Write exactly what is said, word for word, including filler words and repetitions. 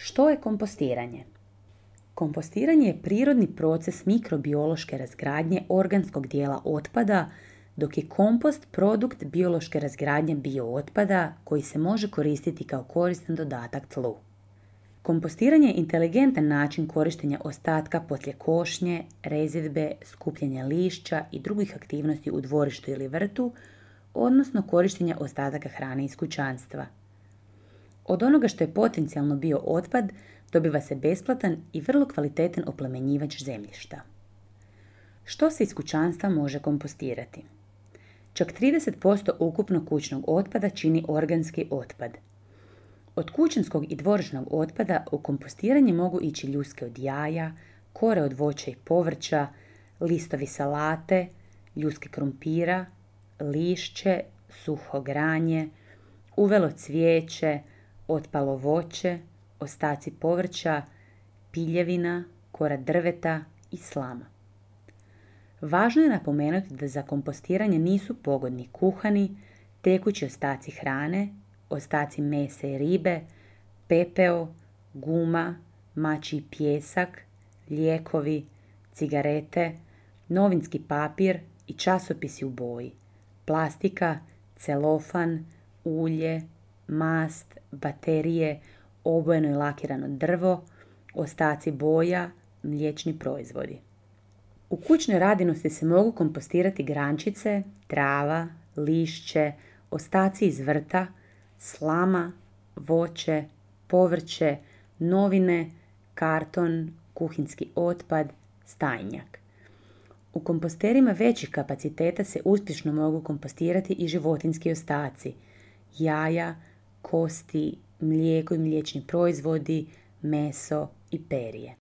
Što je kompostiranje? Kompostiranje je prirodni proces mikrobiološke razgradnje organskog dijela otpada, dok je kompost produkt biološke razgradnje biootpada koji se može koristiti kao koristan dodatak tlu. Kompostiranje je inteligentan način korištenja ostatka poslije košnje, rezidbe, skupljanja lišća i drugih aktivnosti u dvorištu ili vrtu, odnosno korištenja ostataka hrane iz kućanstva. Od onoga što je potencijalno bio otpad dobiva se besplatan i vrlo kvalitetan oplemenjivač zemljišta. Što se iz kućanstva može kompostirati? Čak trideset posto ukupnog kućnog otpada čini organski otpad. Od kućanskog i dvorišnog otpada u kompostiranje mogu ići ljuske od jaja, kore od voća i povrća, listovi salate, ljuske krumpira, lišće, suho granje, uvelo cvijeće, otpalo voće, ostaci povrća, piljevina, kora drveta i slama. Važno je napomenuti da za kompostiranje nisu pogodni kuhani, tekući ostaci hrane, ostaci mesa i ribe, pepeo, guma, mačji pijesak, lijekovi, cigarete, novinski papir i časopisi u boji, plastika, celofan, ulje, mast, baterije, obojeno i lakirano drvo, ostaci boja, mliječni proizvodi. U kućnoj radinosti se mogu kompostirati grančice, trava, lišće, ostaci iz vrta, slama, voće, povrće, novine, karton, kuhinski otpad, stajnjak. U komposterima većih kapaciteta se uspješno mogu kompostirati i životinjski ostaci, jaja, kosti, mlijeko i mliječni proizvodi, meso i perje.